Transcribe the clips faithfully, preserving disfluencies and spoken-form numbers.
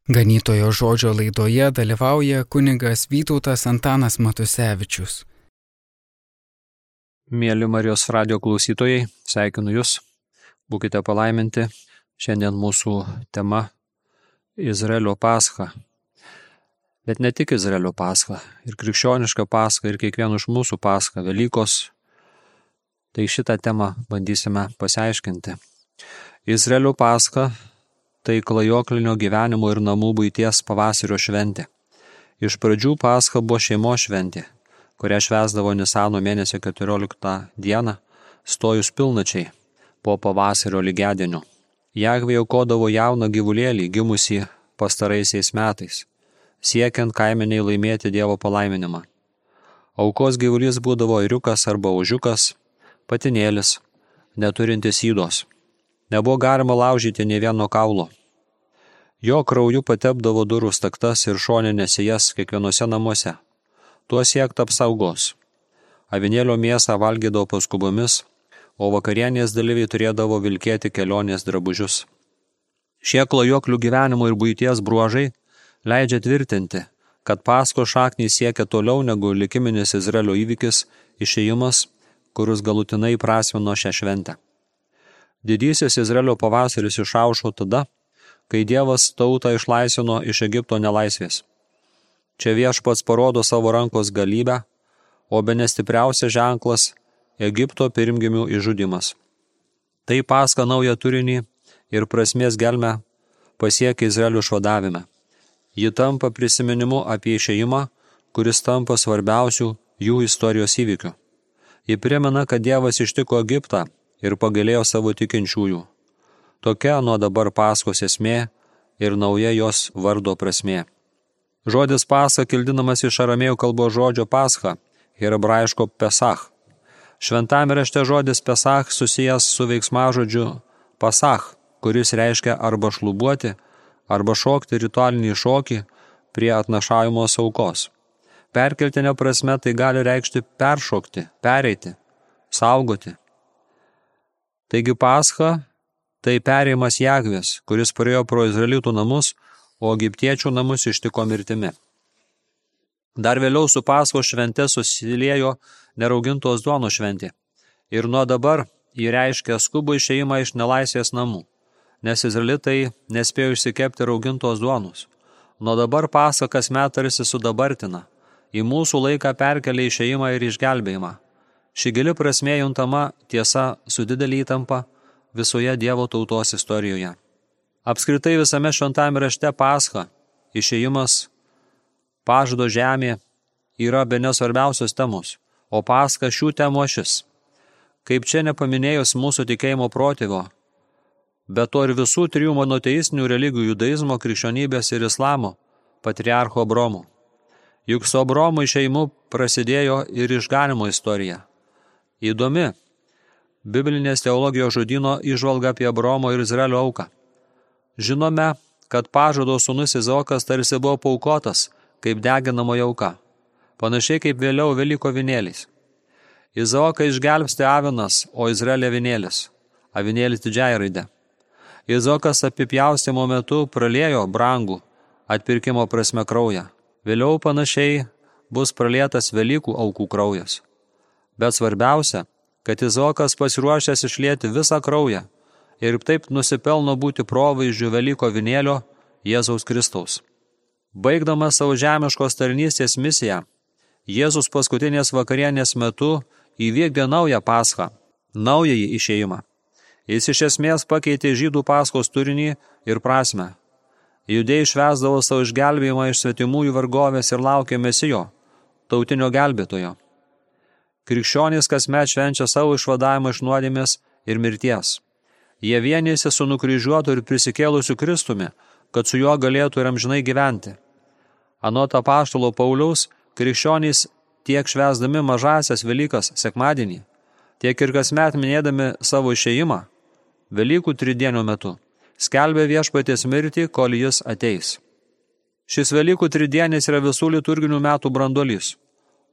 Ganytojo žodžio laidoje dalyvauja kunigas Vytautas Antanas Matusevičius. Mėly Marijos radijo klausytojai, sveikinu Jūs, būkite palaiminti. Šiandien mūsų tema Izraelio Pascha. Bet ne tik Izraelio Pascha, ir krikščioniška Pascha, ir kiekvieno iš mūsų Pascha, Velykos. Tai šitą temą bandysime pasiaiškinti. Izraelio Pascha tai klajoklinio gyvenimo ir namų buities pavasario šventė. Iš pradžių Pascha buvo šeimos šventė, kurią švęsdavo Nisano mėnesio keturioliktą dieną, stojus pilnačiai po pavasario lygiadienio. Jahvė aukodavo jauną gyvulėlį gimusį pastaraisiais metais, siekiant kaimeniai laimėti Dievo palaiminimą. Aukos gyvulys būdavo ėriukas arba ožiukas, patinėlis, neturintis ydos. Nebuvo galima laužyti nė vieno kaulo. Jo krauju patepdavo durų staktas ir šoninės jas kiekvienose namuose. Tuo siekta apsaugos. Avinėlio mėsą valgydavo paskubomis, o vakarienės dalyviai turėdavo vilkėti kelionės drabužius. Šie klajoklių gyvenimo ir buities bruožai leidžia tvirtinti, kad Paskos šaknys siekia toliau negu likiminis Izraelio įvykis išėjimas, kuris galutinai prasmino šią šventę. Didysis Izraelio pavasaris išaušo tada, kai Dievas tautą išlaisvino iš Egipto nelaisvės. Čia Viešpats parodo savo rankos galybę, o bene stipriausias ženklas – Egipto pirmgimių išžudymas. Tai Pascha naują turinį ir prasmės gelmę pasiekia Izraelio išvadavime. Ji tampa prisiminimu apie išėjimą, kuris tampa svarbiausių jų istorijos įvykių. Ji primena, kad Dievas ištiko Egiptą ir pagailėjo savo tikinčiųjų. Tokia nuo dabar Paskos esmė ir nauja jos vardo prasmė. Žodis Pascha kildinamas iš aramėjų kalbos žodžio Pascha ir hebraiško Pesach. Šventame rašte žodis Pesach susijęs su veiksmažodžiu Pasach, kuris reiškia arba šlubuoti, arba šokti ritualinį šokį prie atnašaujamos aukos. Perkeltinė prasme tai gali reikšti peršokti, pereiti, saugoti. Taigi Pascha tai perėjimas Jahvės, kuris praėjo pro izraelitų namus, o egiptiečių namus ištiko mirtimi. Dar vėliau su Paskos švente susiliejo neraugintos duonos šventė. Ir nuo dabar jį reiškia skubų išėjimą iš nelaisvės namų, nes izraelitai nespėjo išsikepti raugintos duonos. Nuo dabar Pascha kasmet tarsi sudabartina, į mūsų laiką perkelia išėjimą ir išgelbėjimą. Ši gili prasmė juntama tiesa su didelė įtampa visoje Dievo tautos istorijoje. Apskritai visame šventame rašte Pascha, išėjimas, pažado žemė yra bene svarbiausios temos, o Pascha šių temų ašis. Kaip čia nepaminėjus mūsų tikėjimo protėvio, bet to ir visų trijų monoteistinių religijų judaizmo, krikščionybės ir islamo, patriarcho Abromo. Juk su Abromo išėjimu prasidėjo ir išganimo istorija. Įdomi biblinės teologijos žodyno įžvalga apie Abromo ir Izraelio auką. Žinome, kad pažado sūnus Izaokas tarsi buvo paukotas kaip deginamoji auka, panašiai kaip vėliau Velykų avinėliais. Izaoką išgelbsti avinas, o Izraelio avinėlis, avinėlis didžiąja raide. Izaokas apipjaustymo metu praliejo brangų atpirkimo prasme kraują. Vėliau panašiai bus pralietas Velykų aukų kraujas. Bet svarbiausia, kad Izaokas pasiruošęs išlieti visą kraują ir taip nusipelno būti provaizdžiu Velykų avinėlio Jėzaus Kristaus. Baigdamas savo žemiškos tarnystės misiją, Jėzus paskutinės vakarienės metu įvykdė naują Paschą, naująjį išėjimą. Jis iš esmės pakeitė žydų Paskos turinį ir prasmę. Judėjai švęsdavo savo išgelbėjimą iš svetimųjų vergovės ir laukė Mesijo, tautinio gelbėtojo. Krikščionys kasmet švenčia savo išvadavimą iš nuodėmės ir mirties. Jie vienijasi su nukryžiuotu ir prisikėlusiu Kristumi, kad su juo galėtų ir amžinai gyventi. Anot apaštalo Pauliaus, krikščionys tiek švęsdami mažąsias Velykas sekmadienį, tiek ir kasmet minėdami savo išėjimą, Velykų tridienio metu, skelbia Viešpaties mirtį, kol jis ateis. Šis Velykų tridienis yra visų liturginių metų branduolys,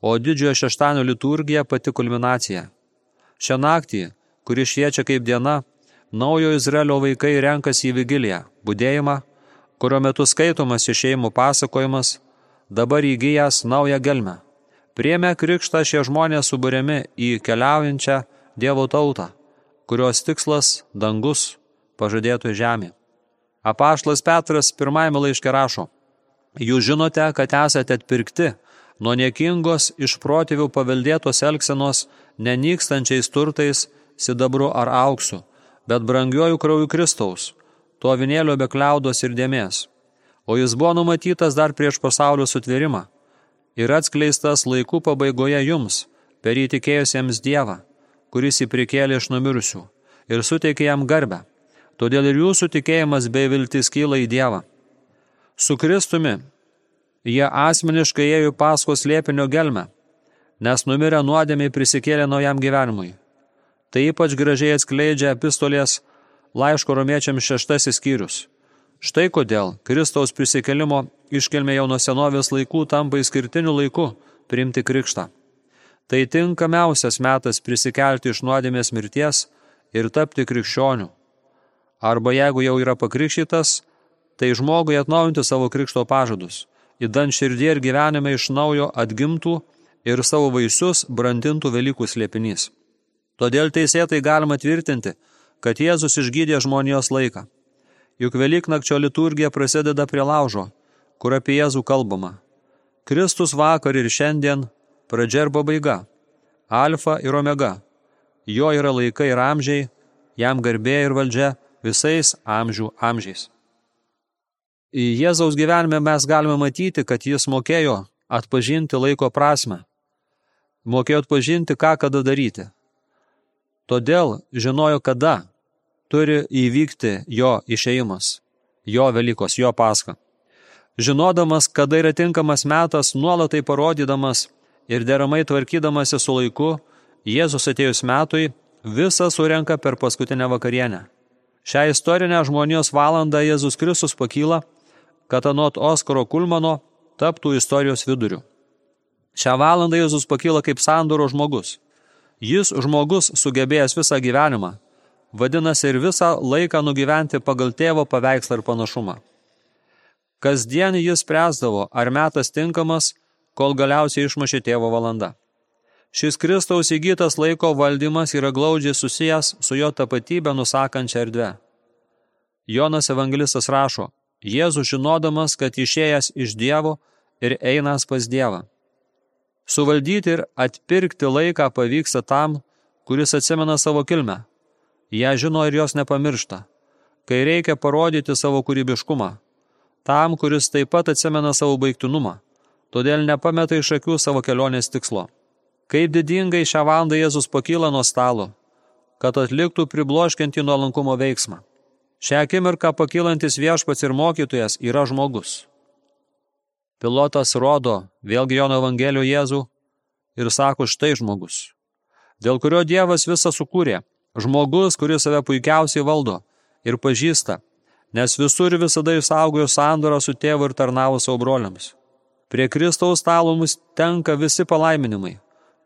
o didžiojo šeštadienio liturgija pati kulminacija. Šią naktį, kuri šviečia kaip diena, naujo Izraelio vaikai renkasi į vigiliją, budėjimą, kurio metu skaitomas išėjimų pasakojimas, dabar įgyjęs naują gelmę. Priėmę krikštą šie žmonės suburiami į keliaujančią Dievo tautą, kurios tikslas dangus pažadėtų žemė. Apaštalas Petras pirmajame laiške rašo: Jūs žinote, kad esate atpirkti nuo niekingos iš protėvių paveldėtos elgsenos nenykstančiais turtais, sidabru ar auksu, bet brangiuoju krauju Kristaus, to avinėlio be kliaudos ir dėmės. O jis buvo numatytas dar prieš pasaulio sutvėrimą ir atskleistas laikų pabaigoje jums, per įtikėjusiems Dievą, kuris jį prikėlė iš numirusių ir suteikė jam garbę. Todėl ir jūsų tikėjimas bei viltis kyla į Dievą. Su Kristumi jie asmeniškai ėjo Paskos slėpinio gelmę, nes numirę nuodėmiai prisikėlė naujam gyvenimui. Tai ypač gražiai atskleidžia epistolės laiško romiečiams šeštasis skyrius. Štai kodėl Kristaus prisikėlimo iškilmė jau nuo senovės laikų tampa išskirtiniu laiku priimti krikštą. Tai tinkamiausias metas prisikelti iš nuodėmės mirties ir tapti krikščioniu. Arba jeigu jau yra pakrikštytas, tai žmogui atnaujinti savo krikšto pažadus, įdant širdie ir gyvenime iš naujo atgimtų ir savo vaisius brandintų Velykų slėpinys. Todėl teisėtai galima tvirtinti, kad Jėzus išgydė žmonijos laiką. Juk Velyknakčio liturgija prasideda prie laužo, kur apie Jėzų kalbama. Kristus vakar ir šiandien, pradžia ir pabaiga, alfa ir omega. Jo yra laikai ir amžiai, jam garbė ir valdžia visais amžių amžiais. Į Jėzaus gyvenime mes galime matyti, kad jis mokėjo atpažinti laiko prasmę, mokėjo atpažinti, ką kada daryti. Todėl žinojo, kada turi įvykti jo išėjimas, jo Velykos, jo Paska. Žinodamas, kada yra tinkamas metas, nuolat tai parodydamas ir deramai tvarkydamasi su laiku, Jėzus atėjus metui visą surenka per paskutinę vakarienę. Šią istorinę žmonijos valandą Jėzus Kristus pakyla, kad anot Oskaro Kulmano taptų istorijos viduriu. Šią valandą Jėzus pakyla kaip sandoro žmogus. Jis žmogus sugebėjęs visą gyvenimą, vadinasi ir visą laiką nugyventi pagal tėvo paveikslą ir panašumą. Kasdien jis spręsdavo, ar metas tinkamas, kol galiausiai išmušė tėvo valanda. Šis Kristaus įgytas laiko valdymas yra glaudžiai susijęs su jo tapatybę nusakančia erdve. Jonas evangelistas rašo: Jėzus žinodamas, kad išėjęs iš Dievo ir einas pas Dievą. Suvaldyti ir atpirkti laiką pavyksta tam, kuris atsimena savo kilmę. Ją žino ir jos nepamiršta, kai reikia parodyti savo kūrybiškumą. Tam, kuris taip pat atsimena savo baigtinumą, todėl nepameta iš akių savo kelionės tikslo. Kaip didingai šią valandą Jėzus pakyla nuo stalo, kad atliktų pribloškiantį nuolankumo veiksmą. Šią akimirką pakylantis viešpats ir mokytojas yra žmogus. Pilotas rodo vėlgi Jono Evangelijoje Jėzų ir sako: štai žmogus, dėl kurio Dievas visą sukūrė, žmogus, kuris save puikiausiai valdo ir pažįsta, nes visur visada išsaugojo sandorą su tėvu ir tarnavo savo broliams. Prie Kristaus stalo mums tenka visi palaiminimai,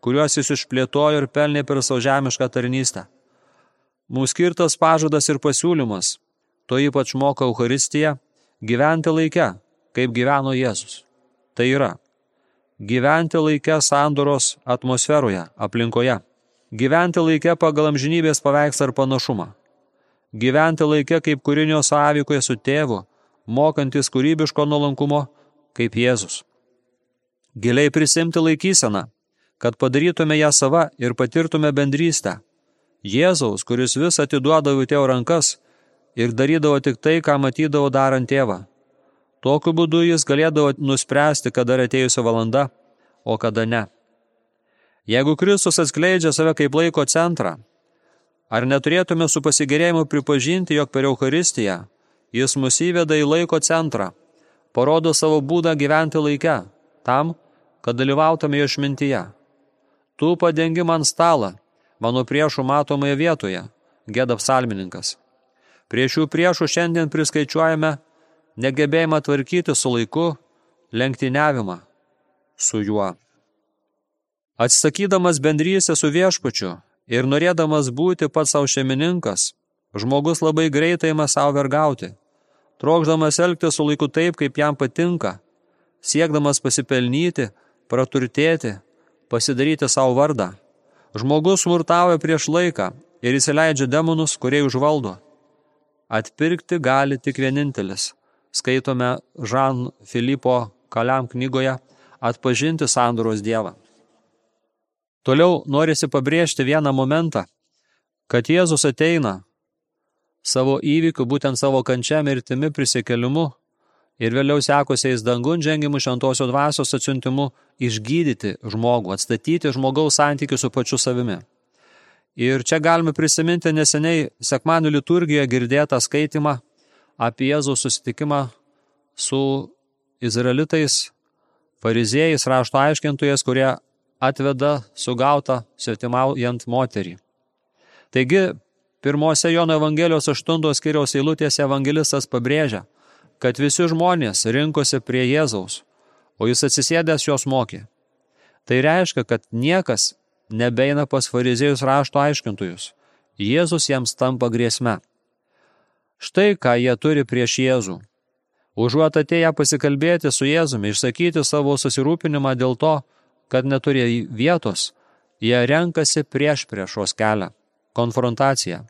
kuriuos jis išplėtojo ir pelnė per savo žemišką tarnystę. Mums skirtas pažadas ir pasiūlymas, to ypač moko Eucharistija, gyventi laike, kaip gyveno Jėzus. Tai yra, gyventi laike sandoros atmosferoje, aplinkoje, gyventi laike pagal amžinybės paveikslą ir panašumą, gyventi laike kaip kūrinio sąveikoje su tėvu, mokantis kūrybiško nuolankumo kaip Jėzus. Giliai prisimti laikyseną, kad padarytume ją sava ir patirtume bendrystę. Jėzaus, kuris vis atiduodavo į tėvo rankas ir darydavo tik tai, ką matydavo darant tėvą. Tokiu būdu jis galėdavo nuspręsti, kada atėjusi valanda, o kada ne. Jeigu Kristus atskleidžia save kaip laiko centrą, ar neturėtume su pasigėrėjimu pripažinti, jog per Eucharistiją jis mus įveda į laiko centrą, parodo savo būdą gyventi laike, tam, kad dalyvautume jo išmintyje. Tu padengi man stalą, mano priešų matomoje vietoje, gėda psalmininkas. Prie šių priešų šiandien priskaičiuojame negebėjimą tvarkyti su laiku, lenktyniavimą su juo. Atsisakydamas bendrystę su viešpačiu ir norėdamas būti pats savo šeimininkas, žmogus labai greitai ima savo vergauti. trokšdamas elgtis su laiku taip, kaip jam patinka, siekdamas pasipelnyti, praturtėti, pasidaryti savo vardą. Žmogus smurtauja prieš laiką ir įsileidžia demonus, kurie užvaldo. Atpirkti gali tik vienintelis. Skaitome Žan Filipo Kaliam knygoje Atpažinti sandoros Dievą. Toliau norisi pabrėžti vieną momentą, kad Jėzus ateina savo įvykių, būtent savo kančia, mirtimi, prisikėlimu ir vėliau sekusiais dangun žengimu šventosios dvasios atsiuntimu išgydyti žmogų, atstatyti žmogaus santykių su pačiu savimi. Ir čia galime prisiminti neseniai sekmadienio liturgijoje girdėtą skaitimą apie Jėzaus susitikimą su izraelitais, fariziejais, rašto aiškintojais, kurie atveda sugautą svetimaujant moterį. Taigi, pirmose Jono Evangelijos aštuntos skyriaus eilutėse evangelistas pabrėžia, kad visi žmonės rinkosi prie Jėzaus, o jis atsisėdęs jos mokė. Tai reiškia, kad niekas nebeina pas fariziejus rašto aiškintojus. Jėzus jiems tampa grėsme. Štai ką jie turi prieš Jėzų. Užuot atėję pasikalbėti su Jėzumi, išsakyti savo susirūpinimą dėl to, kad neturi vietos, jie renkasi prieš priešos kelią, konfrontaciją.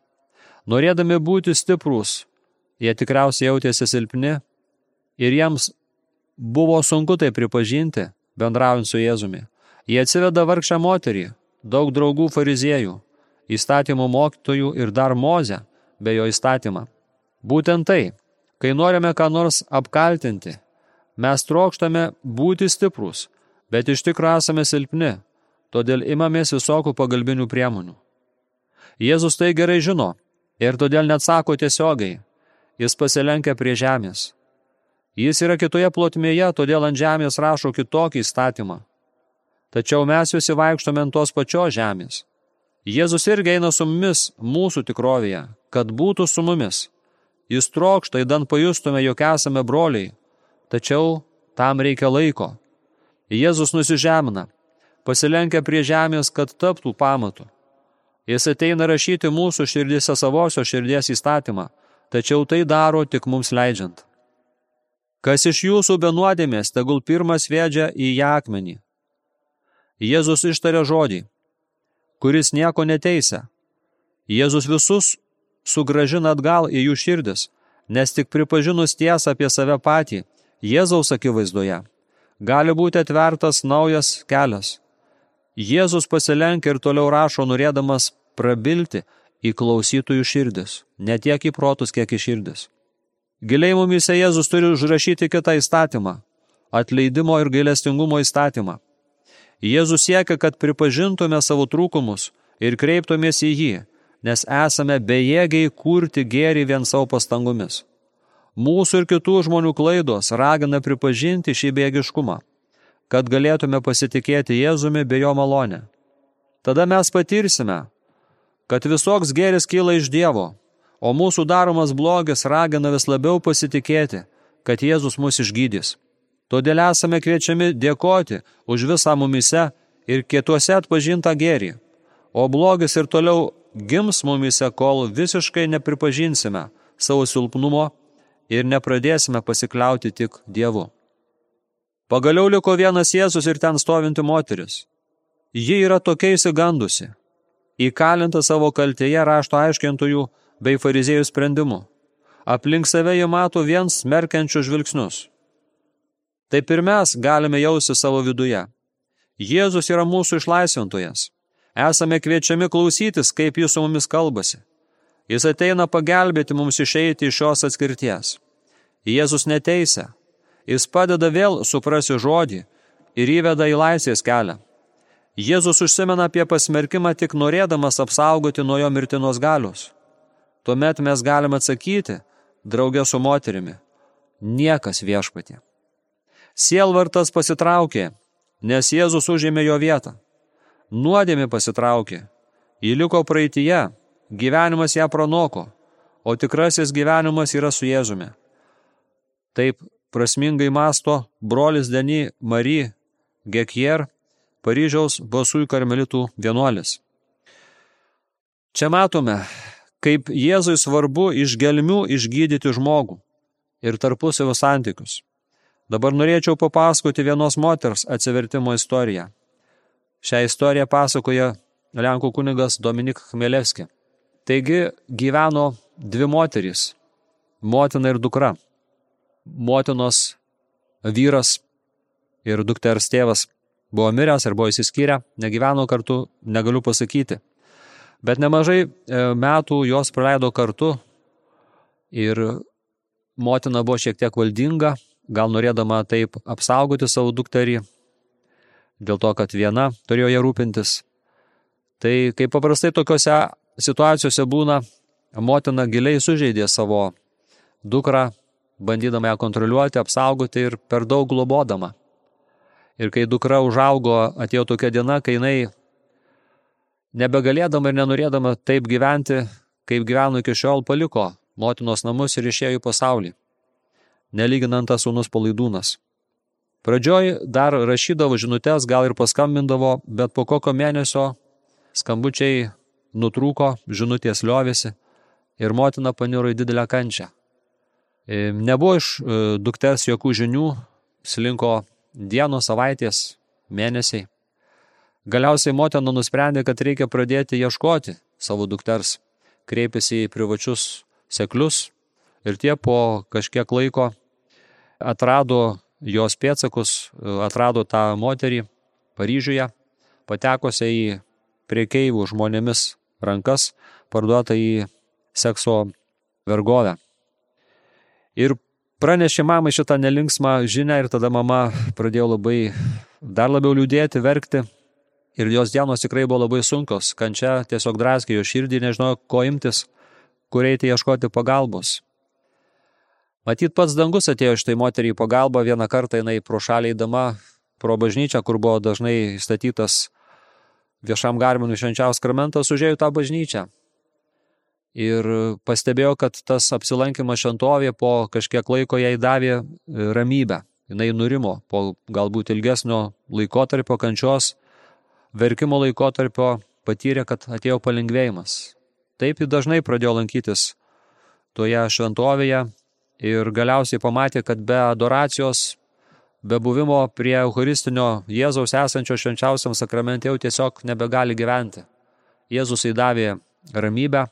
Norėdami būti stiprūs, jie tikriausiai jautėsi silpni ir jiems buvo sunku tai pripažinti, bendraujant su Jėzumi. Jie atsiveda vargšę moterį, daug draugų fariziejų, įstatymų mokytojų ir dar Mozę be jo įstatymą. Būtent tai, kai norime ką nors apkaltinti, mes trokštame būti stiprūs, bet iš tikrųjų esame silpni, todėl imamės visokių pagalbinių priemonių. Jėzus tai gerai žino ir todėl neatsako tiesiogiai, jis pasilenkia prie žemės. Jis yra kitoje plotmėje, todėl ant žemės rašo kitokį įstatymą. Tačiau mes visi vaikštome ant tos pačios žemės. Jėzus irgi eina su mumis mūsų tikrovėje, kad būtų su mumis. Jis trokšta, įdant pajustume, jog esame broliai, tačiau tam reikia laiko. Jėzus nusižemina, pasilenkia prie žemės, kad taptų pamatu. Jis ateina rašyti mūsų širdyse savosios širdies įstatymą, tačiau tai daro tik mums leidžiant. Kas iš jūsų be nuodėmės, tegul pirmas sviedžia į ją akmenį. Jėzus ištarė žodį, kuris nieko neteisia. Jėzus visus sugrąžina atgal į jų širdis, nes tik pripažinus tiesą apie save patį, Jėzaus akivaizdoje, gali būti atvertas naujas kelias. Jėzus pasilenkia ir toliau rašo, norėdamas prabilti į klausytojų širdis, ne tiek į protus, kiek į širdis. Giliai mumyse Jėzus turi užrašyti kitą įstatymą, atleidimo ir gailestingumo įstatymą. Jėzus siekia, kad pripažintume savo trūkumus ir kreiptumės į jį, nes esame bejėgiai kurti gėrį vien savo pastangomis. Mūsų ir kitų žmonių klaidos ragina pripažinti šį bejėgiškumą, kad galėtume pasitikėti Jėzumi bei jo malonę. Tada mes patirsime, kad visoks gėris kyla iš Dievo, o mūsų daromas blogis ragina vis labiau pasitikėti, kad Jėzus mus išgydys. Todėl esame kviečiami dėkoti už visą mumyse ir kituose atpažintą gėrį, o blogis ir toliau gims mumyse, kol visiškai nepripažinsime savo silpnumo ir nepradėsime pasikliauti tik Dievu. Pagaliau liko vienas Jėzus ir ten stovinti moteris. Ji yra tokia išsigandusi, įkalinta savo kaltėje rašto aiškintojų bei fariziejų sprendimu. Aplink save jie mato vien smerkiančius žvilgsnius. Taip ir mes galime jausti savo viduje. Jėzus yra mūsų išlaisvintojas. Esame kviečiami klausytis, kaip jis su mumis kalbasi. Jis ateina pagelbėti mums išeiti iš šios atskirties. Jėzus neteisia. Jis padeda vėl suprasti žodį ir įveda į laisvės kelią. Jėzus užsimena apie pasmerkimą tik norėdamas apsaugoti nuo jo mirtinos galios. Tuomet mes galime atsakyti, drauge su moterimi, niekas viešpatie. Sielvartas pasitraukė, nes Jėzus užėmė jo vietą. Nuodėmė pasitraukė, ji liko praeityje, gyvenimas ją pranoko, o tikrasis gyvenimas yra su Jėzumi. Taip prasmingai masto brolis Denis Marie Gekier, Paryžiaus Basųjų karmelitų vienuolis. Čia matome, kaip Jėzui svarbu iš gelmių išgydyti žmogų. ir tarpusavio santykius. Dabar norėčiau papasakoti vienos moters atsivertimo istoriją. Šią istoriją pasakoja Lenkų kunigas Dominik Chmelevski. Taigi gyveno dvi moterys, motina ir dukra. Motinos vyras ir dukters tėvas buvo miręs ir buvo įsiskyrę, negyveno kartu, negaliu pasakyti. Bet nemažai metų jos praleido kartu ir motina buvo šiek tiek valdinga, gal norėdama taip apsaugoti savo dukterį, dėl to, kad viena turėjo ją rūpintis. Tai kaip paprastai tokiose situacijose būna, motina giliai sužeidė savo dukrą, bandydama ją kontroliuoti, apsaugoti ir per daug globodama. Ir kai dukra užaugo, atėjo tokia diena, kai jinai nebegalėdama ir nenorėdama taip gyventi, kaip gyveno iki šiol, paliko motinos namus ir išėjo į pasaulį. Nelyginant tas sūnus Palaidūnas. Pradžioj dar rašydavo žinutes, gal ir paskambindavo, bet po kokio mėnesio skambučiai nutrūko, žinutės liovėsi ir motina paniro į didelę kančią. Nebuvo iš dukters jokių žinių, slinko dienos, savaitės, mėnesiai. Galiausiai motina nusprendė, kad reikia pradėti ieškoti savo dukters. Kreipėsi į privačius seklius ir tie po kažkiek laiko atrado jos pėdsakus, atrado tą moterį Paryžiuje, patekusią į prekeivių žmonėmis rankas, parduotą į sekso vergovę. Ir pranešė mamai šitą nelinksmą žinią ir tada mama pradėjo labai dar labiau liūdėti, verkti. Ir jos dienos tikrai buvo labai sunkios. Kančia tiesiog draskė jo širdį, nežinojo, ko imtis, kur eiti ieškoti pagalbos. Matyt, pats dangus atėjo šitai moteriai pagalbą. Vieną kartą jinai pro šalį eidama pro bažnyčią, kur buvo dažnai statytas viešam garbinui švenčiausias sakramentas, užėjo tą bažnyčią. Ir pastebėjo, kad tas apsilankymas šventovėje po kažkiek laiko jai davė ramybę. Jinai nurimo po galbūt ilgesnio laikotarpio kančios, verkimo laikotarpio, patyrė, kad atėjo palengvėjimas. Taip ji dažnai pradėjo lankytis toje šventovėje ir galiausiai pamatė, kad be adoracijos, be buvimo prie eucharistinio Jėzaus esančio švenčiausiam sakramente jau tiesiog nebegali gyventi. Jėzus įdavė ramybę,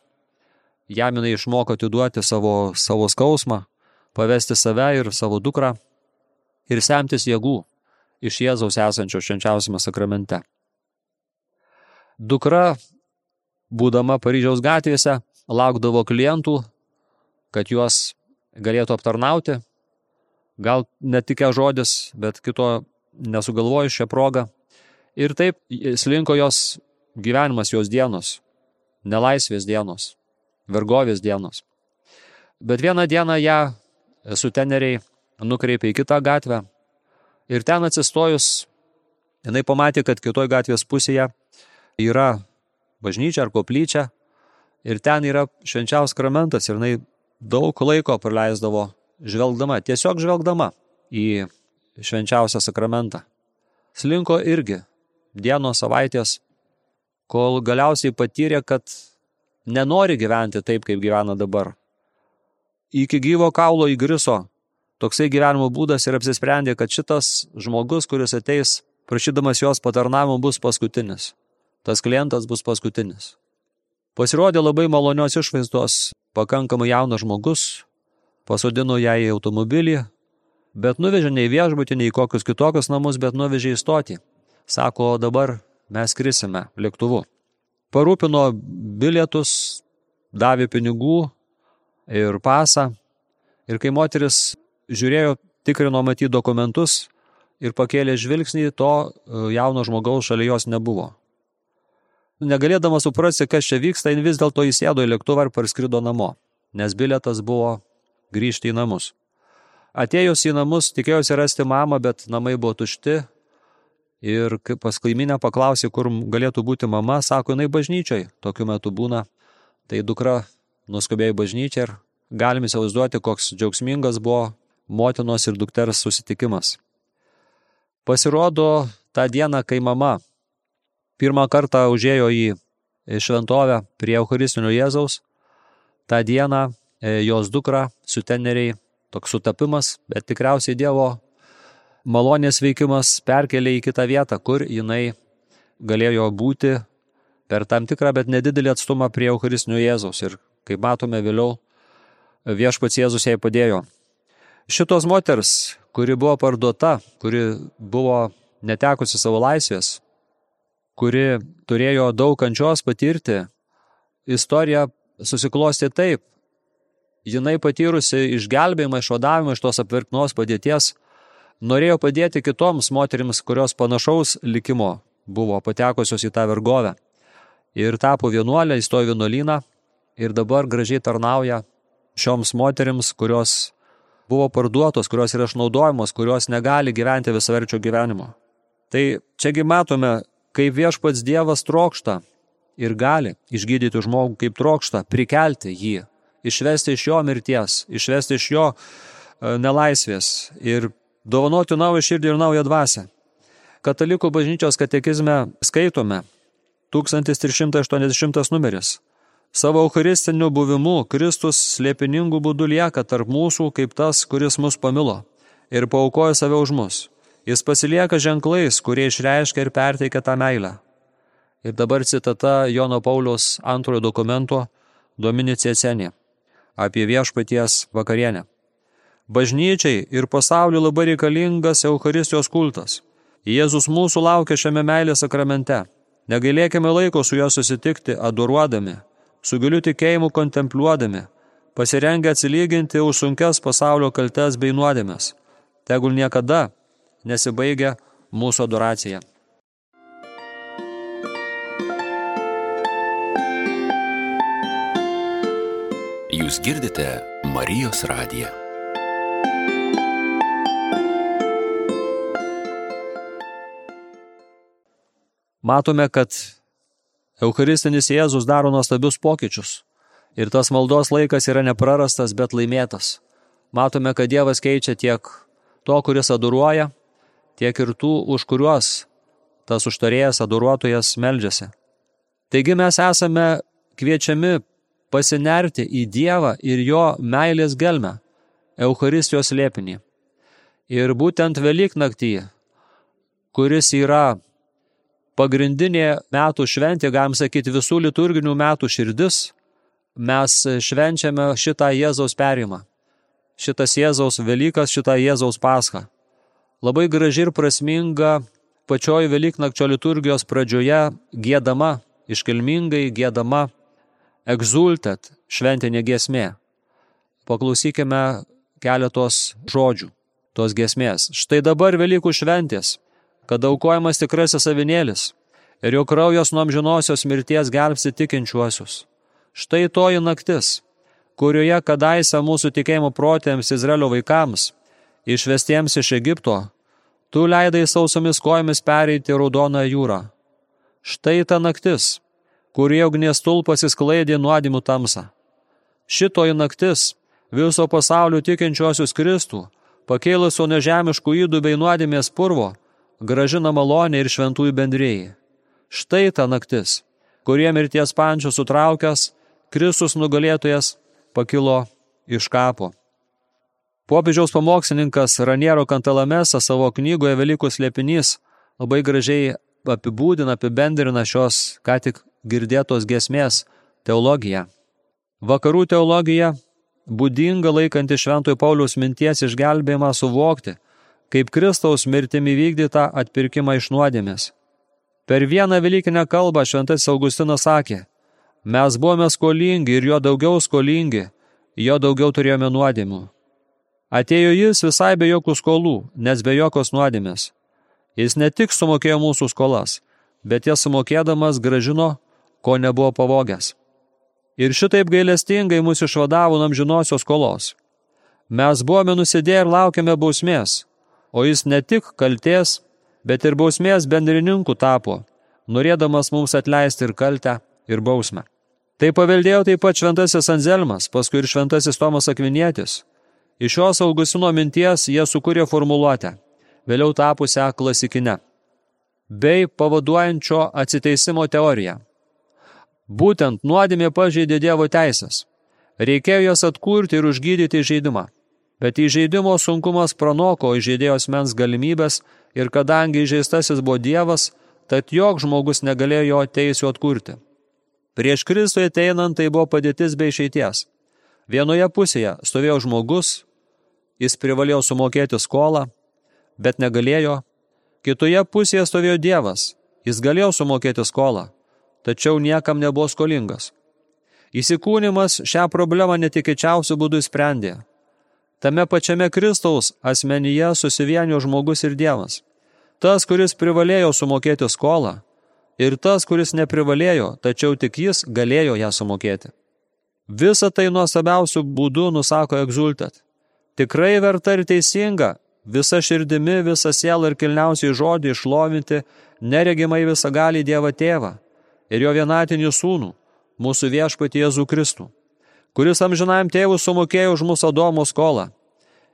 jam jinai išmoko atiduoti savo, savo skausmą, pavesti save ir savo dukrą ir semtis jėgų iš Jėzaus esančio švenčiausiame sakramente. Dukra, būdama Paryžiaus gatvėse, laukdavo klientų, kad juos galėtų aptarnauti. Gal netikė žodis, bet kito nesugalvoju šią progą. Ir taip slinko jos gyvenimas, jos dienos, nelaisvės dienos, vergovės dienos. Bet vieną dieną ją suteneriai nukreipė į kitą gatvę ir ten atsistojus, jinai pamatė, kad kitoj gatvės pusėje yra bažnyčia ar koplyčia ir ten yra švenčiausias sakramentas ir jinai daug laiko praleisdavo žvelgdama, tiesiog žvelgdama į švenčiausią sakramentą. Slinko irgi dienos, savaitės, kol galiausiai patyrė, kad nenori gyventi taip, kaip gyvena dabar. Iki gyvo kaulo įgriso toksai gyvenimo būdas ir apsisprendė, kad šitas žmogus, kuris ateis prašydamas jos patarnavimo, bus paskutinis. Tas klientas bus paskutinis. Pasirodė labai malonios išvaizdos, pakankamai jaunas žmogus, pasodino ją į automobilį, bet nuvežė ne į viešbutį, ne į kokius kitokius namus, bet nuvežė į stotį. Sako, dabar mes skrisime lėktuvu. Parūpino bilietus, davė pinigų ir pasą. Ir kai moteris žiūrėjo, tikrino matyti dokumentus ir pakėlė žvilgsnį, to jauno žmogaus šalia jos nebuvo. Negalėdama suprasti, kas čia vyksta, jin vis dėlto įsėdo į lėktuvą ir parskrido namo, nes bilietas buvo grįžti į namus. Atėjus į namus, tikėjosi rasti mamą, bet namai buvo tušti ir pas kaimynę paklausė, kur galėtų būti mama, sako, jinai bažnyčioj, tokiu metu būna. Tai dukra nuskubėjo į bažnyčią ir galim įsivaizduoti, koks džiaugsmingas buvo motinos ir dukters susitikimas. Pasirodo, tą dieną, kai mama pirmą kartą užėjo į šventovę prie eucharistinio Jėzaus, tą dieną jos dukra suteneriai toks sutapimas, bet tikriausiai Dievo malonės veikimas perkelė į kitą vietą, kur jinai galėjo būti per tam tikrą, bet nedidelį atstumą prie Eucharistinio Jėzaus. Ir kaip matome vėliau, viešpats Jėzus jai padėjo. Šitos moters, kuri buvo parduota, kuri buvo netekusi savo laisvės, kuri turėjo daug kančios patirti, istorija susiklosti taip. Jinai patyrusi išgelbėjimą, išvadavimą iš tos apverknos padėties, norėjo padėti kitoms moterims, kurios panašaus likimo buvo patekusios į tą vergovę. Ir tapo vienuolė, įstojo vienuolyną ir dabar gražiai tarnauja šioms moterims, kurios buvo parduotos, kurios yra išnaudojamos, kurios negali gyventi visaverčio gyvenimo. Tai čiagi matome, kaip viešpats Dievas trokšta ir gali išgydyti žmogų, kaip trokšta prikelti jį, išvesti iš jo mirties, išvesti iš jo nelaisvės ir dovanoti naują širdį ir naują dvasią. Katalikų bažnyčios katekizme skaitome tūkstantis trys šimtai aštuoniasdešimtas numeris. Savo eucharistiniu buvimu Kristus slėpiningų būdų lieka tarp mūsų kaip tas, kuris mus pamilo ir paaukojo save už mus. Jis pasilieka ženklais, kurie išreiškia ir perteikia tą meilę. Ir dabar citata Jono Pauliaus antrojo dokumento Domini Ceceni apie viešpaties vakarienę. Bažnyčiai ir pasauliu labai reikalingas Eucharistijos kultas. Jėzus mūsų laukia šiame meilės sakramente. Negailėkime laiko su juo susitikti, adoruodami, su giliu tikėjimu kontempliuodami, pasirengę atsilyginti už sunkias pasaulio kaltes bei nuodėmes. Tegul niekada nesibaigia mūsų adoracija. Jūs girdite Marijos radiją. Matome, kad Eucharistinis Jėzus daro nuostabius pokyčius ir tas maldos laikas yra neprarastas, bet laimėtas. Matome, kad Dievas keičia tiek to, kuris adoruoja, tiek ir tų, už kuriuos tas užtarėjas, adoruotojas meldžiasi. Taigi mes esame kviečiami pasinerti į Dievą ir jo meilės gelmę, Eucharistijos slėpinį. Ir būtent Velyknaktį, kuris yra pagrindinė metų šventė, galim sakyti, visų liturginių metų širdis, mes švenčiame šitą Jėzaus perėjimą. Šitas Jėzaus Velykas, šitą Jėzaus Paschą. Labai graži ir prasminga pačioje Velyknakčio liturgijos pradžioje giedama, iškilmingai giedama exultet šventinė giesmė. Paklausykime keletos žodžių tos giesmės. Štai dabar Velykų šventės, kad aukojamas tikrasis avinėlis ir jo kraujas nuo amžinosios mirties gelbsti tikinčiuosius. Štai toji naktis, kurioje kadaise mūsų tikėjimo protėms Izraelio vaikams, išvestiems iš Egipto, tu leidai sausomis kojomis pereiti Raudoną jūrą. Štai ta naktis, kurioje ugnies stulpas įsklaidė nuodėmių tamsą. Šitoji naktis viso pasaulio tikinčiuosius Kristų, pakėlusio nežemiškų ydų bei nuodėmės purvo, gražina malonė ir šventųjų bendrėjai. Štai ta naktis, kurie mirties pančių sutraukęs, Kristus nugalėtojas pakilo iš kapo. Popiežiaus pamokslininkas Raniero Cantalamessa savo knygoje Velykų slėpinys labai gražiai apibūdina, apibendrina šios ką tik girdėtos giesmės teologiją. Vakarų teologija būdinga laikanti Šventojo Pauliaus minties išgelbėjimą suvokti, kaip Kristaus mirtimi vykdytą atpirkimą iš nuodėmės. Per vieną velykinę kalbą šventasis Augustinas sakė, mes buvome skolingi ir jo daugiau skolingi, jo daugiau turėjome nuodėmių. Atėjo jis visai be jokių skolų, nes be jokios nuodėmės. Jis ne tik sumokėjo mūsų skolas, bet jas sumokėdamas gražino, ko nebuvo pavogęs. Ir šitaip gailestingai mus išvadavo nuo amžinosios skolos. Mes buvome nusidėję ir laukėme bausmės, o jis ne tik kaltės, bet ir bausmės bendrininku tapo, norėdamas mums atleisti ir kaltę, ir bausmę. Tai paveldėjo taip pat šventasis Anzelmas, paskui ir šventasis Tomas Akvinietis. Iš šios Augustino minties jie sukūrė formuluotę, vėliau tapusią klasikinę, bei pavaduojančio atsiteisimo teoriją. Būtent nuodėmė pažeidė Dievo teisės. Reikėjo jas atkurti ir užgydyti žaidimą. Bet įžeidimo sunkumas pranoko įžeidėjo asmens galimybės ir kadangi įžeistasis buvo Dievas, tad joks žmogus negalėjo jo teisių atkurti. Prieš Kristų ateinant tai buvo padėtis be išeities. Vienoje pusėje stovėjo žmogus, jis privalėjo sumokėti skolą, bet negalėjo. Kitoje pusėje stovėjo Dievas, jis galėjo sumokėti skolą, tačiau niekam nebuvo skolingas. Įsikūnimas šią problemą netikėčiausių būdų sprendė. Tame pačiame Kristaus asmenyje susivienijo žmogus ir Dievas. Tas, kuris privalėjo sumokėti skolą, ir tas, kuris neprivalėjo, tačiau tik jis galėjo ją sumokėti. Visa tai nuostabiausių būdų nusako egzultat. Tikrai verta ir teisinga, visa širdimi, visa siela ir kilniausiai žodį išlovinti neregimai visagalį Dievą Tėvą ir jo vienatinį sūnų, mūsų viešpatį Jėzų Kristų, kuris amžinajam tėvui sumokėjo už mūsų Adomo skolą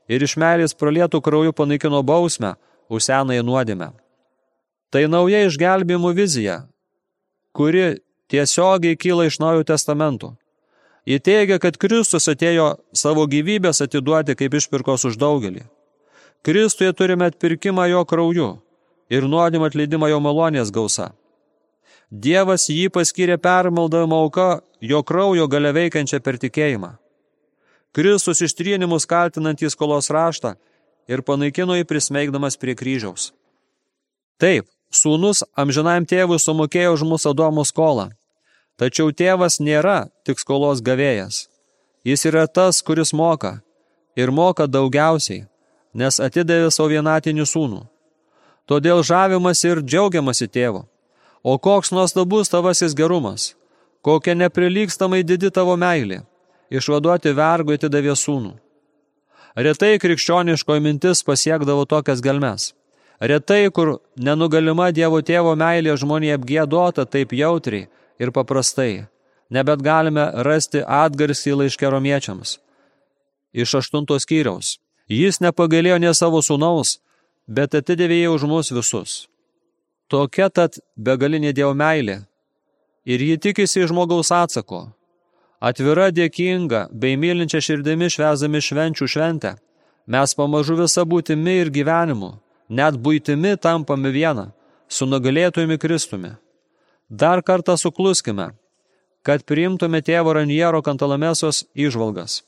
ir iš meilės pralietų krauju panaikino bausmę už senąją nuodėmę. Tai nauja išgelbėjimų vizija, kuri tiesiogiai kyla iš Naujojo testamento. Ji teigia, kad Kristus atėjo savo gyvybės atiduoti kaip išpirkos už daugelį. Kristuje turime atpirkimą jo krauju ir nuodėmę atleidimą jo malonės gausa. Dievas jį paskyrė permaldavimo auka jo kraujo galia veikiančią per tikėjimą. Kristus ištrynimus kaltinantį skolos raštą ir panaikino jį prismeigdamas prie kryžiaus. Taip, sūnus amžinajam tėvui sumokėjo už mūsų Adomo skolą, tačiau tėvas nėra tik skolos gavėjas. Jis yra tas, kuris moka ir moka daugiausiai, nes atidavė savo vienatinį sūnų. Todėl žavimas ir džiaugiamasi tėvu. O koks nuostabus tavasis gerumas, kokia neprilygstamai didi tavo meilė, išvaduoti vergui atidavė sūnų. Retai krikščioniškoji mintis pasiekdavo tokias gelmes. Retai, kur nenugalima Dievo Tėvo meilė žmonėje apgiedota taip jautriai ir paprastai, nebet galime rasti atgarsį laiške romiečiams. Iš aštuntos skyriaus. Jis nepagailėjo ne savo sūnaus, bet atidavė jį už mus visus. Tokia tad begalinė Dievo meilė ir ji tikisi žmogaus atsako. Atvira, dėkinga, bei mylinčia širdimi švęsdami švenčių šventę, mes pamažu visą būtimi ir gyvenimu, net buitimi tampame vieną, su nugalėtojumi Kristumi. Dar kartą sukluskime, kad priimtume tėvo Raniero Kantalamesos įžvalgas.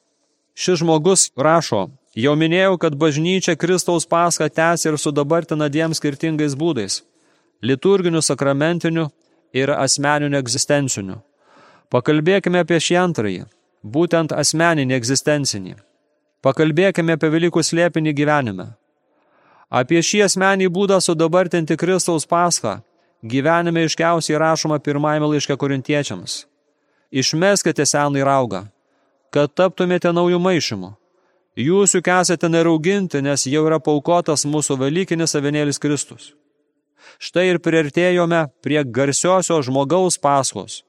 Šis žmogus rašo, jau minėjau, kad bažnyčia Kristaus paschą tęsia ir sudabartina dviem skirtingais būdais – liturginiu, sakramentiniu ir asmeniniu egzistenciniu. Pakalbėkime apie šį antrąjį, būtent asmeninį egzistencinį. Pakalbėkime apie Velykų slėpinį gyvenime. Apie šį asmenį būdą sudabartinti Kristaus paschą gyvenime iškiausiai rašoma pirmajame laiške korintiečiams. Išmeskite senąjį raugą, kad taptumėte naujų maišymų. Jūs juk esate nerauginti, nes jau yra paukotas mūsų velykinis avinėlis Kristus. Štai ir priartėjome prie garsiosios žmogaus paschos,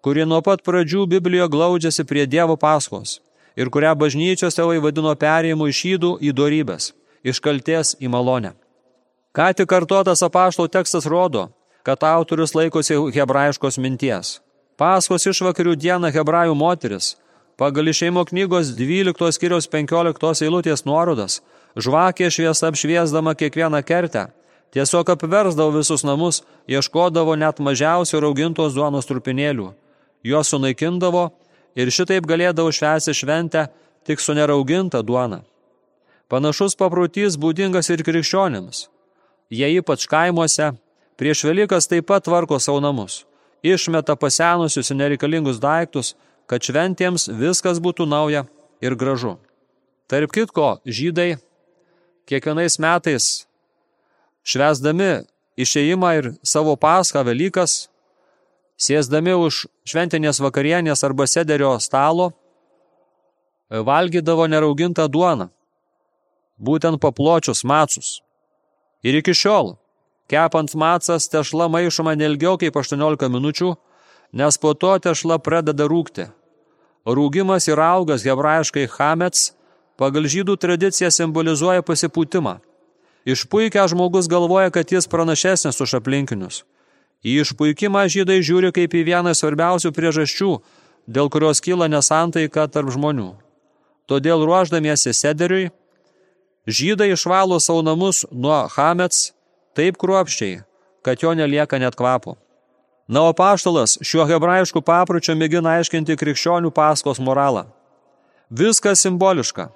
kuri nuo pat pradžių Biblijoje glaudžiasi prie Dievo paschos ir kurią bažnyčios tėvai vadino perėjimu iš ydų į dorybės, iš kaltės į malonę. Ką tik kartotas apaštalų tekstas rodo, kad autorius laikosi hebrajiškos minties. Paschos išvakarių dieną hebrajų moteris, pagal Išėjimo knygos dvyliktos skyriaus penkioliktos eilutės nuorodas, žvakė šviesa apšviesdama kiekvieną kertę, tiesiog apversdavo visus namus, ieškodavo net mažiausių raugintos duonos trupinėlių. Juos sunaikindavo ir šitaip galėdavo švęsti šventę tik su nerauginta duona. Panašus paprotys būdingas ir krikščionims. Jie ypač kaimuose prieš Velykas taip pat tvarko savo namus, išmeta pasenusius ir nereikalingus daiktus, kad šventėms viskas būtų nauja ir gražu. Tarp kitko, žydai kiekvienais metais švęsdami išėjimą ir savo paschą Velykas, sėsdami už šventinės vakarienės arba sederio stalo, valgydavo neraugintą duoną, būtent papločius macus. Ir iki šiol, kepant macas, tešla maišoma neilgiau kaip aštuoniolika minučių, nes po to tešla pradeda rūgti. Rūgimas ir augas hebrajiškai chamets pagal žydų tradiciją simbolizuoja pasipūtimą. Išpuikę žmogus galvoja, kad jis pranašesnis už aplinkinius. Į išpuikimą žydai žiūri kaip į vieną svarbiausių priežasčių, dėl kurios kyla nesantaika tarp žmonių. Todėl ruoždamiesi sederiui, žydai išvalo savo namus nuo chamets taip kruopščiai, kad jo nelieka net kvapo. Na, o apaštalas šiuo hebrajišku papročiu mėgina aiškinti krikščionių Paskos moralą. Viskas simboliška.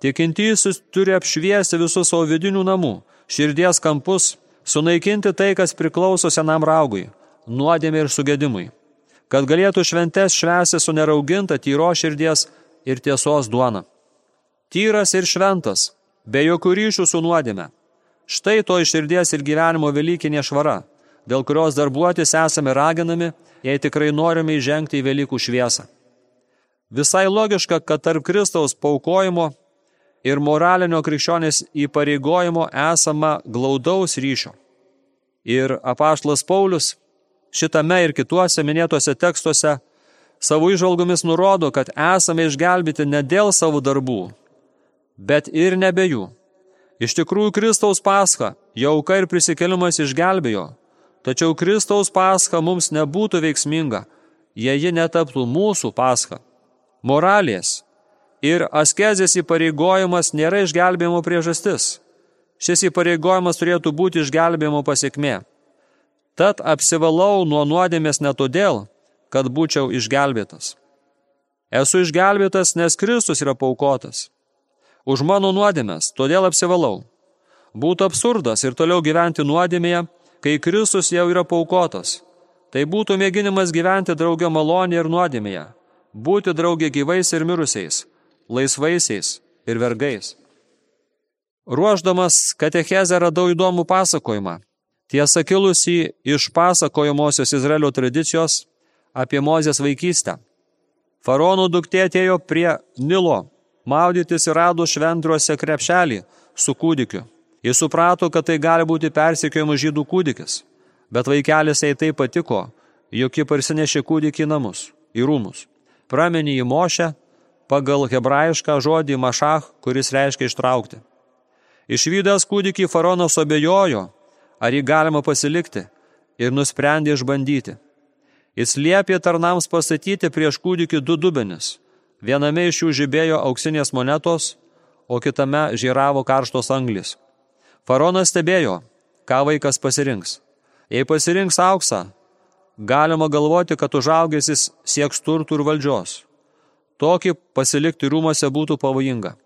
Tikintysis turi apšviesti visus savo vidinių namų, širdies kampus, sunaikinti tai, kas priklauso senam raugui, nuodėmei ir sugedimui, kad galėtų šventes švęsti su nerauginta tyro širdies ir tiesos duona. Tyras ir šventas, be jokių ryšių su nuodėme. Štai to iš širdies ir gyvenimo velykinė švara, dėl kurios darbuotis esame raginami, jei tikrai norime įžengti į Velykų šviesą. Visai logiška, kad tarp Kristaus paaukojimo ir moralinio krikščionės įpareigojimo esama glaudaus ryšio. Ir apaštalas Paulius šitame ir kituose minėtuose tekstuose savo įžvalgomis nurodo, kad esame išgelbėti ne dėl savo darbų, bet ir nebe jų. Iš tikrųjų, Kristaus Pascha, jo auka ir prisikėlimas išgelbėjo, tačiau Kristaus Pascha mums nebūtų veiksminga, jei ji netaptų mūsų Pascha. Moralės ir askezės įpareigojimas nėra išgelbėjimo priežastis. Šis įpareigojimas turėtų būti išgelbėjimo pasekmė. Tad apsivalau nuo nuodėmės ne todėl, kad būčiau išgelbėtas. Esu išgelbėtas, nes Kristus yra paaukotas. Už mano nuodėmės, todėl apsivalau. Būtų absurdas ir toliau gyventi nuodėmėje, kai Kristus jau yra paaukotas. Tai būtų mėginimas gyventi draugė malonėje ir nuodėmėje, būti draugė gyvais ir mirusiais, laisvaisiais ir vergais. Ruošdamas katechezę radau įdomų pasakojimą, tiesa kilusį iš pasakojamosios Izraelio tradicijos apie Mozės vaikystę. Faraono duktė atėjo prie Nilo maudytis ir rado švendriuose krepšelį su kūdikiu. Jis suprato, kad tai gali būti persekiojimo žydų kūdikis, bet vaikelis jai tai patiko, jog ji parsinešė kūdikį į namus, į rūmus. Praminė jį Mošę pagal hebrajišką žodį mašach, kuris reiškia ištraukti. Išvydęs kūdikį faraonas abejojo, ar jį galima pasilikti, ir nusprendė išbandyti. Jis liepė tarnams pastatyti prieš kūdikį du dubenis. Viename iš jų žibėjo auksinės monetos, o kitame žyravo karštos anglis. Faraonas stebėjo, ką vaikas pasirinks. Jei pasirinks auksą, galima galvoti, kad užaugęs jis sieks turtų ir valdžios. Tokį pasilikti rūmose būtų pavojinga.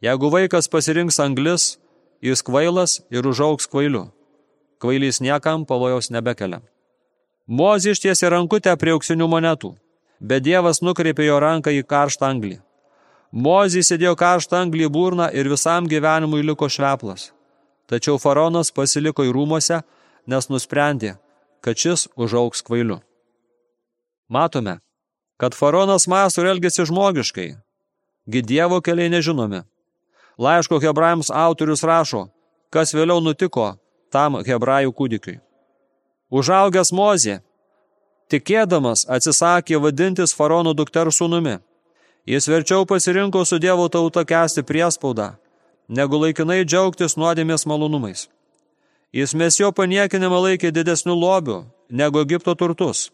Jeigu vaikas pasirinks anglis, jis kvailas ir užaugs kvailiu. Kvailys niekam pavojaus nebekelia. Mozė ištiesė rankutę prie auksinių monetų, bet Dievas nukreipė jo ranką į karštą anglį. Mozė sėdėjo karštą anglį į burną ir visam gyvenimui liko šveplas. Tačiau faraonas pasiliko į rūmose, nes nusprendė, kad šis užaugs kvailiu. Matome, kad faraonas mąsto ir elgiasi žmogiškai, gi Dievo keliai nežinomi. Laiško hebrajams autorius rašo, kas vėliau nutiko tam hebrajų kūdikiui. Užaugęs Mozė, tikėdamas, atsisakė vadintis faraono dukters sūnumi. Jis verčiau pasirinko su Dievo tauta kęsti priespaudą, negu laikinai džiaugtis nuodėmės malonumais. Jis Mesijo paniekinimą laikė didesniu lobiu negu Egipto turtus,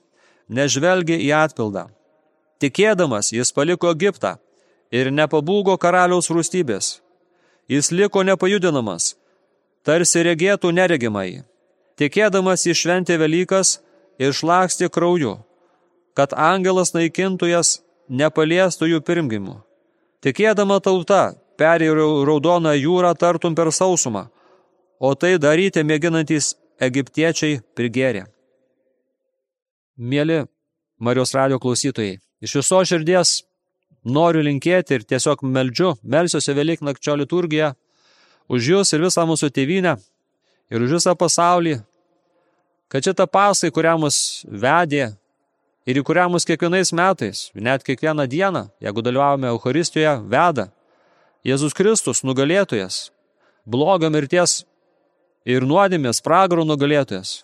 nežvelgė į atpildą. Tikėdamas, jis paliko Egiptą ir nepabūgo karaliaus rūstybės. Jis liko nepajudinamas, tarsi regėtų neregimai. Tikėdamas jis šventė Velykas ir šlakstė krauju, kad angelas naikintojas nepaliestų jų pirmgimių. Tikėdama tauta perėjo raudoną jūrą tartum per sausumą, o tai daryti mėginantys egiptiečiai prigėrė. Mieli Marijos radijo klausytojai, iš viso širdies noriu linkėti ir tiesiog meldžiu, melsiuosi Velyknakčio liturgiją už jūs ir visą mūsų tėvynę ir už visą pasaulį, kad šitą pasai, kurią mus vedė ir į kurią mus kiekvienais metais, net kiekvieną dieną, jeigu dalyvavome Eucharistijoje, veda Jėzus Kristus, nugalėtojas, blogio mirties ir nuodėmės pragaro nugalėtojas,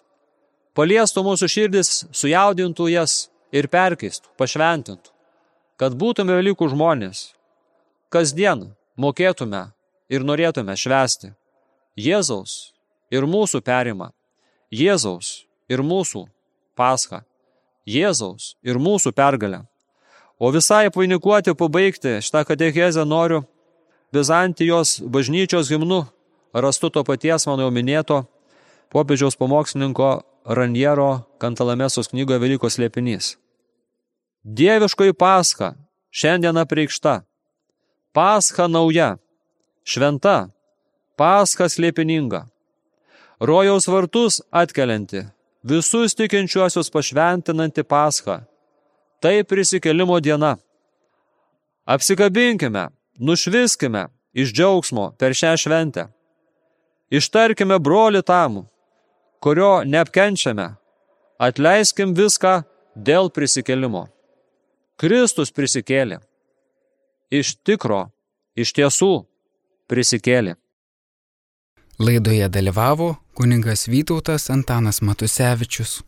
paliestų mūsų širdis, sujaudintų jas ir perkeistų, pašventintų, kad būtume Velykų žmonės, kasdien mokėtume ir norėtume švęsti Jėzaus ir mūsų perimą, Jėzaus ir mūsų paschą, Jėzaus ir mūsų pergalę. O visai apvainikuoti, pabaigti šitą katechezę noriu Bizantijos bažnyčios himnu, rastu to paties mano jau minėto popiežiaus pamokslininko Raniero Kantalamesos knygoje Velykos slėpinys. Dieviškoji Pascha šiandien apreikšta, Pascha nauja, šventa, Pascha slėpininga, rojaus vartus atkelianti, visus tikinčiuosius pašventinanti Pascha, tai prisikėlimo diena. Apsikabinkime, nušviskime iš džiaugsmo per šią šventę. Ištarkime brolį tam, kurio neapkenčiame, atleiskim viską dėl prisikėlimo. Kristus prisikėlė. Iš tikro, iš tiesų prisikėlė. Laidoje dalyvavo kunigas Vytautas Antanas Matusevičius.